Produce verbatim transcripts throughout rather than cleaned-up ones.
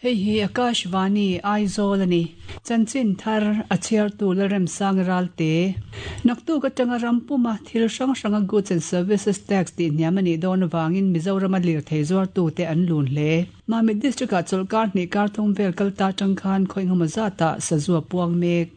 Hei hi Akashvani Aizawl ani. Chanchin thar a chhiartu Lalremsang Ralte. Naktuk atanga rampuma thil hrang hranga Goods and Services Tax tih hniam anih dawn avangin Mizoram a lirthei zuartu te an lun hle. Mamit District ah chawlhkar hnih kar thum vel kal ta atang khan khawi engemaw zatah sazu a puang mek.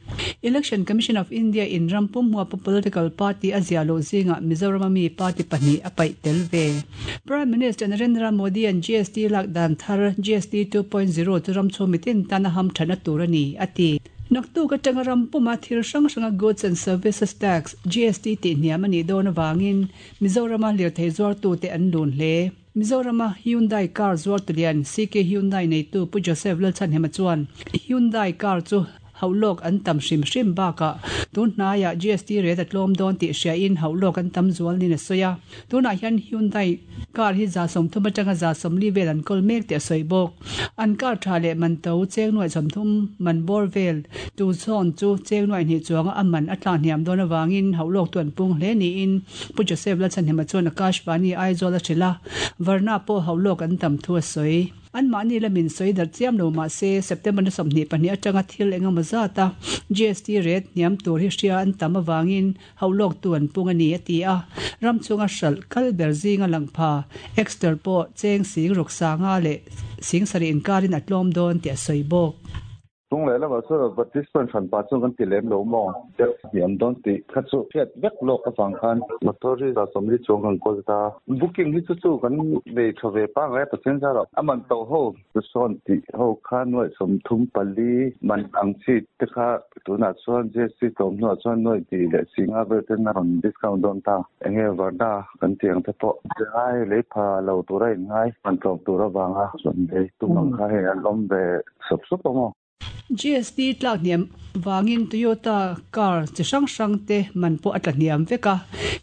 Election Commission of India in rampum huapa political party a ziah loh zingah Mizoram a mi party pahnih a paih tel ve. Prime Minister Narendra Modi an G S T lak dan thar G S T two point zero chu ram chhung mitin tana ham thana tur ani ati. Naktuk atanga rampuma thil hrang hranga Goods and Services Tax G S T tih hniam ani dawn awangin Mizoram a lirthei zuartu te an lun hle. Mizoram a Hyundai car zuartu lian C K Hyundai neitu Pu Joseph Lalchhanhema chuan Hyundai car chu haulok an tam hrim hrim baka tun hnaiah G S T rate a tlawm dawn tih hria in haulok an tam zual nin a sawi a. Tunah hian Hyundai car hi za sawmthum atanga za sawmli vel an kawl mek tih a sawi bawk. An car tha leh man to cheng nuai sawmthum man bawr vel tu zawn chu cheng nuai hnih chuanga a man a tla hniam dawn awangin haulok tu an pung hle niin Pu Joseph Lalchhanhema chuan Akashvani Aizawl a hrilh a. Varna pawh haulok an tam thu a sawi. An mahni lamin sawi dar chiam lo mah se September na sawmhnih pahnih atanga thil engemaw zata G S T rate hniam tur hi hria an tam awangin haulok tu an pung ani a ti a. Ram chunga hral kal ber zinga langpha Exter pawh cheng sing ruk sanga leh sing sari inkarin a tlawm dawn tih a sawi bawk. Tung le lama chu participant hran pa chu kan ti lem lo maw hniam dawn tih kha chu hriat vek lawk avang khan motor hi za sawmli chuang kan kawl ta. Booking hi chu chu kan nei tha ve pa ngai pathian zar a man to ho chu sawn tih ho kha nuai sawmthum pali man ang chi te kha tunah chuan G S T tlawm hnuah chuan nuai tih leh singa vel ten a rawn discount dawn ta. Enge varna kan tiang te pawh ngai lei pha lo tura in ngai man tlawm tur awanga chuan lei tum ang kha hei an awm ve sup sup a maw. G S T tlak hniam wangin Toyota car chi hrang hrang te man pawh a tla hniam vek a.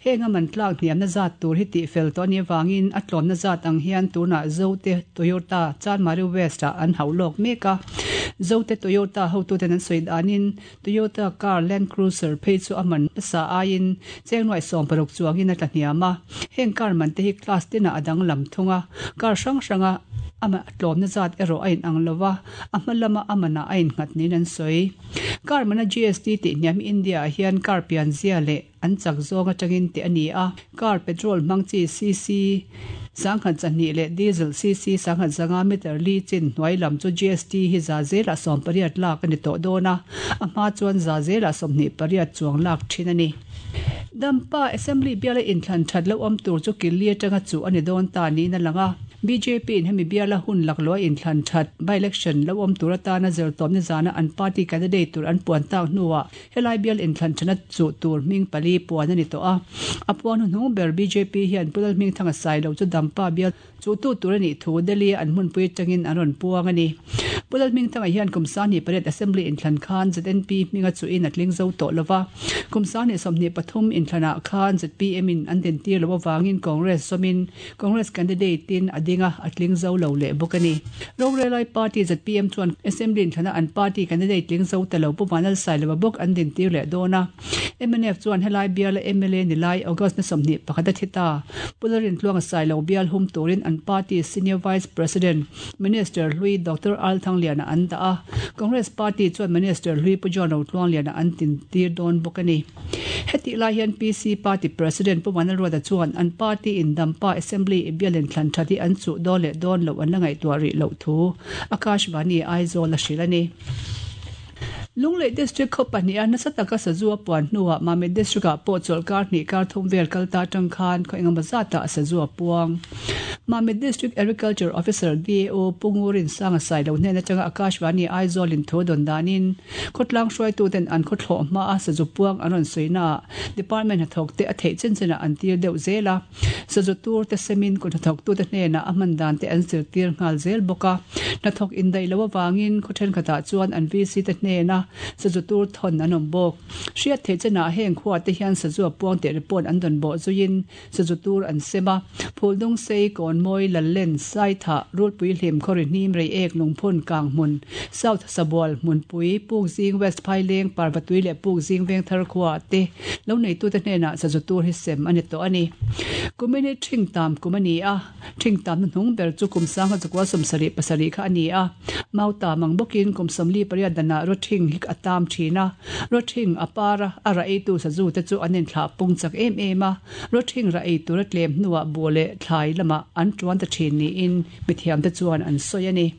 Heng a man tlak hniam na zat tur hi tih fel tawh ani awangin a tlawm na zat ang hian tunah Zote Toyota Chanmari West ah an haulawk mek a. Zote Toyota hotu ten an sawi danin Toyota car Land Cruiser phei chu a man hmasa aiin cheng nuai sawm paruk chuangin a tla hniam a. Heng car man te hi class tinah a dang lam thung a. Car hrang hranga ama tlawm na zat erawh a in ang lova a hma lama amana a in nghat nin an sawi. Car mana G S T tih hniam India ah hian car pian zia leh an chak zawng atangin tih ani a. Car petrol hmang chi C C sangkhat chahnih leh diesel C C sangkhat zanga meter li chin hnuai lam chu G S T hi za zela sawm pariat lak ani tawh dawn a. A hma chuan za zela sawmhnih pariat chuang lak thin ani. Dampa Assembly biala inthlan that lo awm tur chu killi atanga chu ani dawn ta niin a lang a. B J P in hemi biala hun laklo inthlan that by election lo awm tur atana zirtawm ni zana an party candidate tur an puan tak hnuah helai bial inthlan thana chu tur hming pali puan ani tawh a. A puan hnung ber B J P hian Pulal hming thanga sai lo chu Dampa bial chu tu tur ani thu Delhi an hmunpui tangin an rawn puang ani. Pulal hming thanga hian Kumsani pariat Assembly inthlan khan Z N P hminga chu in a tling zo tawh lova. Kumsani sawmhnih pathum inthlana khan Z P M in an din tir lo awangin Congress sawmin Congress candidate in adinga a tling zo lo leh bawk ani. Rorelai Party Z P M chuan Assembly inthlana an party candidate tling zo ta lo pu Vanal Sailova bawk an din tir leh dawn a. M N F chuan helai bial M L A nilai August na sawmhnih pakhat a thi ta. Pularin tluang Sailo bial hum turin an party senior vice president Minister Hlui Doctor Al Thangliana an dah a. Congress Party chuan Minister Hlui Pu John Rotluang liana an tin tir dawn bawk ani. Heti lai hian P C Party President Pu Vanal Ruata chuan an party in Dampa Assembly bial inthlan thati an chu dawn leh dawn lo an la ngaihtuah rih loh thu Akashvani Aizawl a hrilh ani. Lunglei District khaw pahnih a nasa taka sazu a puan hnuah Mamit District ah pawh chawlhkar hnih kar thum vel kal ta atang khan khaw engemaw zatah sazu a puang. Mamit District Agriculture Officer D A O Pungurin Sanga Sailo hnen atanga Akashvani Aizawl in thu dawn danin khawtlang hruaitu ten an khaw thlawh hma a sazu puang an rawn sawi department hnathawk te a theih chen chenah an tir deuh zel a. Sazu tur te semin kut hnathawk tu te hnenah a hman dan te an zir tir nghal zel bawk a. Hnathawk indai lo awangin khaw thenkhatah chuan an V C te hnena sazu tur thon an awm bawk. Hriat theih chenah heng khua te hian sazu a puang tih report an dawn bawh zuiin sazu tur an sem a. Phuldung sei Kawnmawi Lallen Saitha Rulpui Hlim Khawri Hnim Reiek Lungphun Kanghmun South Sabual Hmunpui Pukzing West Phaileng Parvatui leh Pukzing Vengthar khua te lo neitu te hnenah sazu tur hi sem a ni tawh a ni. Kumini thing tam kum a ni a, thing tam na hnung ber chu kum sangha chakua sawmsarih pasarih kha a ni a. Mau tam ang bawkin kum sawmli pariat danah ro thing hi a tam thin a, ro thing a para a ra eitu sazu te chu an inthlah pung chak em em a, ro thing ra ei tur a tlem hnuah buh leh thlai lamah an tuan ta thin niin mithiam te chuan an sawi a ni.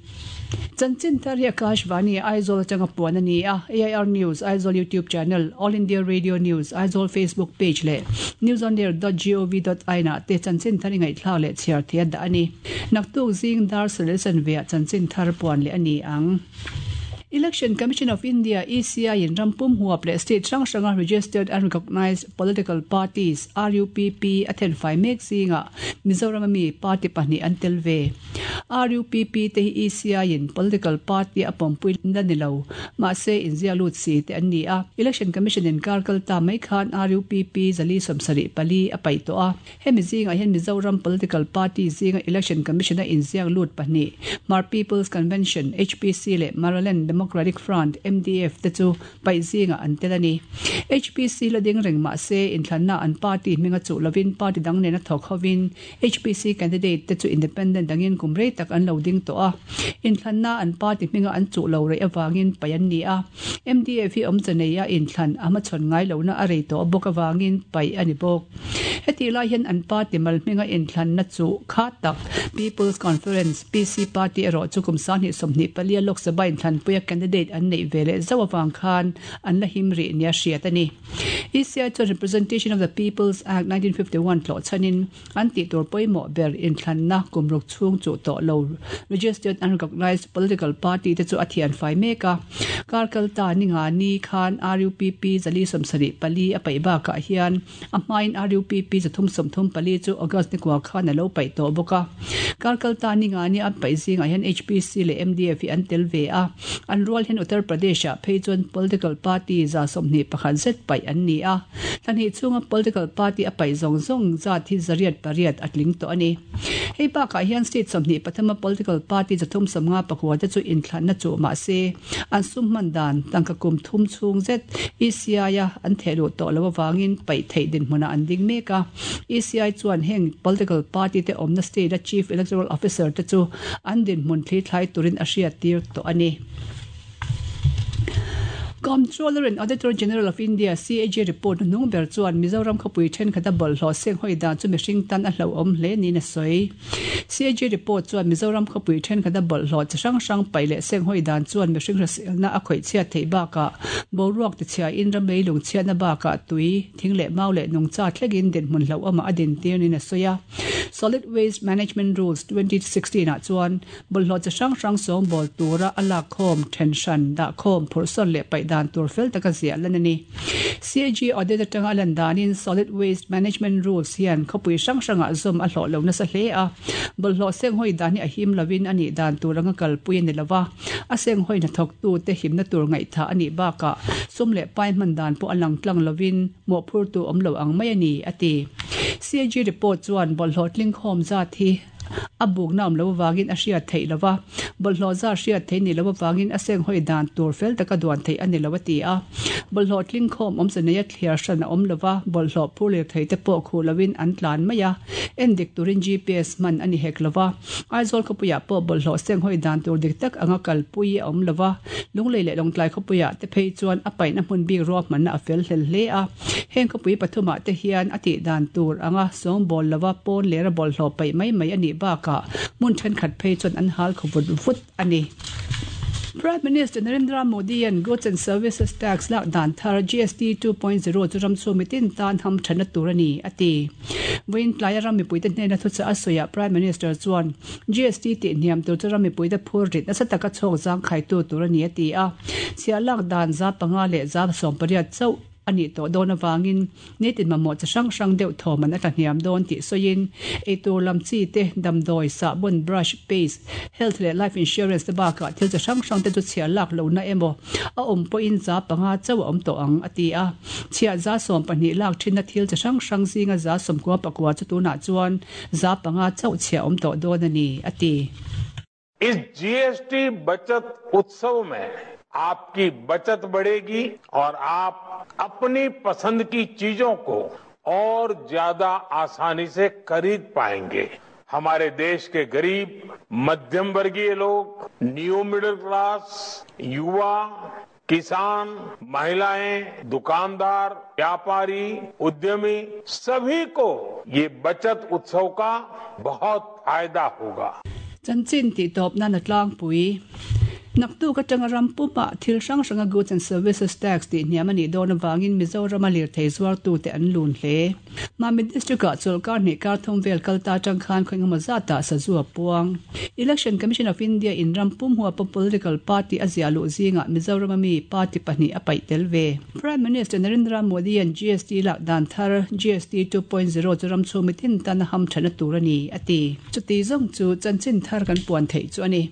Chanchin thar hi Akashvani Aizawl atanga puan a ni a, A I R News Aizawl YouTube channel, All India Radio News Aizawl Facebook page leh newsonair dot gov dot in ah te chanchin thar i ngaihthlak leh chhiar thei a dah a ni. Naktuk zing dar sarih chanve ah chanchin thar puan leh a ni ang. Election Commission of India, E C I in rampum huap leh state hrang hranga registered and recognised political parties, R U P P, a thenfai mek zingah Mizoram ami party pahnih an tel ve. R U P P te hi E C I in political party a pawmpui na ni lo, mahse inzia lut si te an ni a. Election Commission in kar kal ta mai khan R U P P zali sawmsarih pali a paih tawh a. Hemi zingah hian Mizoram political party zinga Election Commission a inziak lut pahnih, Hmar People's Convention, H P C leh Maraland Democratic Front, M D F te chu paih zingah an tel a ni. H P C la ding reng mahse inthlanna an party hminga chu lovin party dang nen a thawk hovin H P C candidate te chu independent dangin kum rei tak an lo ding tawh a. Inthlanna an party hminga an chu lo rei awangin paih an ni a. M D F hi awm chanei a inthlan a hmachhawn ngai lohna a rei tawh bawk awangin paih a ni bawk. Heti lai hian an party mal hminga inthlanna chu kha tak People's Conference P C Party erawh chu kum sanghnih sawmhnih palia Lok Sabha inthlan puia candidate an neih ve leh zauh awang khan an la him rih nia hriat a ni. E C I chuan Representation of the People's Act nineteen fifty-one tlawh chhanin an tih tur pawimawh ber inthlanna kumruk chhung chu tawh lo registered and recognised political party te chu a thian fai mek a. Kar kal ta ninga ni khan R U P P zali sawmsarih pali a paih bakah hian a hmain R U P P zathum sawmthum pali chu August ni kua khan a lo paih tawh bawk a. Kar kal ta ninga ni an paih zingah hian H P C leh M D F hi an tel ve a. An rual hian Uttar Pradesh ah phei chuan political party za sawmhnih pakhat zet paih an ni a. Thlanhnih chhunga political party a paih zawng zawng zat hi zariat pariat a tling tawh a ni. Hei bakah hian state sawmhnih pathuma political party zathum sawmnga pakua te chu inthlanna chu mahse an sum hman dan tangka kum thum chhung zet E C I a an thehluh tawh lo awangin paih theih dinhmunah an ding mek a. E C I chuan heng political party te awmna state a chief electoral officer te chu an dinhmun thli thlai turin a hriat tir tawh a ni. Comptroller and Auditor General of India C A G report nung ber chuan Mizoram khawpui thenkhat a bawlhhlawh seng hawi dan chu mihring tan a hlauhawm hle niin a sawi. C A G report chuan Mizoram khawpui thenkhat a bawlhhlawh chi hrang hrang paih leh seng hawi dan chuan mihring hriselna a khawih chhiat theih bakah boruak ti chhia in ram leilung chhiatna bakah tui thing leh mau leh nungcha thlengin dinhmun hlauhawmah a din tir niin a sawi a. Solid Waste Management Rules twenty sixteen ah chuan bawlhhlawh chi hrang hrang sawng bawl tura a lak khawm then hran dah khawm phurhsawn leh paih dan tur fel taka ziah lan a ni. C A G audit atanga a lan danin Solid Waste Management Rules hian khawpui hrang hrangah zawm a hlawh lo nasa hle a. Bawlhhlawh seng hawi dan hi a him lovin a nih dan tur anga kalpui a ni lova. A seng hawi hnathawktu te himna tur ngaihtha a nih bakah sum leh pai hman dan pawh a lang tlang lovin mawhphurtu awm lo ang mai a ni a ti. C A G report chuan bawlhhlawh tling khawm zat hi a bukna awm lo awangin a hriat theih lova. Bawlhhlawh za hriat theih ni lo awangin a seng hawi dan tur fel taka duan theih a ni lo a ti a. Bawlhhlawh tling khawm awm chanei a thliar hran a awm lova, bawlhhlawh phur leh thei te pawh khuh lovin an tlan mai a. En dik turin G P S hman a ni hek lova. Aizawl khawpuiah pawh bawlhhlawh seng hawi dan tur dik tak anga kalpui a awm lova. Lunglei leh lawngtlai khawpuiah te phei chuan a paihna hmun bik ruahmanna a fel hlel hle a. Heng khawpui pathumah te hian a tih dan tur anga sawng bawl lova pawn lera bawlhhlawh paih mai mai a nih bakah hmun thenkhat phei chuan an hal khawvut vut a ni. Prime Minister Narendra Modi and Goods and Services Tax lak dan thar G S T two point zero chu ram chu mitin tan ham thana tur ani ati. Voin tlai ram mipui te hnena thu cha asoya Prime Minister chuan G S T ti hniam tur chu ram mipui te phur rit nasa taka chhawk zang khai tu tur ani ati a. Chhia lak dan za panga leh za sawm pariat chauh ani to dawn awangin nitin mamawh chi hrang hrang deuh thaw man a tlahniam dawn tih sawiin eitur lam chi te damdawi sahbawn brush paste health leh life insurance te bakah thil chi hrang hrang te chu chhiah lak lohna emaw a awm pawhin za panga chauh a awm tawh ang a ti a chhiah za sawm pahnih lak thinna thil chi hrang hrang zinga za sawmkua pakua chu tunah chuan za panga chauh chhiah awm tawh dawn a ni a ti. इस जीएसटी बचत उत्सव में आपकी बचत बढ़ेगी और आप अपनी पसंद की चीजों को और ज्यादा आसानी से खरीद पाएंगे। हमारे देश के गरीब, मध्यम वर्गीय लोग, new middle class, युवा, किसान, महिलाएं, दुकानदार, व्यापारी, उद्यमी, सभी को ये बचत उत्सव का बहुत फायदा होगा। Chanchin tih tawp nan a tlangpui. Naktuk atanga ram pumah thil hrang hranga goods and services tax tih hniam a nih dawn avangin Mizorama lirthei zuartute an lun hle. Mamit District-ah chawlhkar hnih kar thum vel kal ta atang khan khaw engemaw zatah sazu a puang. Election Commission of India in ram pum huapa political party a ziah luh zingah Mizorama mi party pahnih a paih tel ve. Prime Minister Narendra Modi an G S T lak dan thar G S T two point zero chu ram chhung mitin tan a ham thana tur a ni a ti. Chuti zawng chu chanchin thar kan puan theih chu a ni.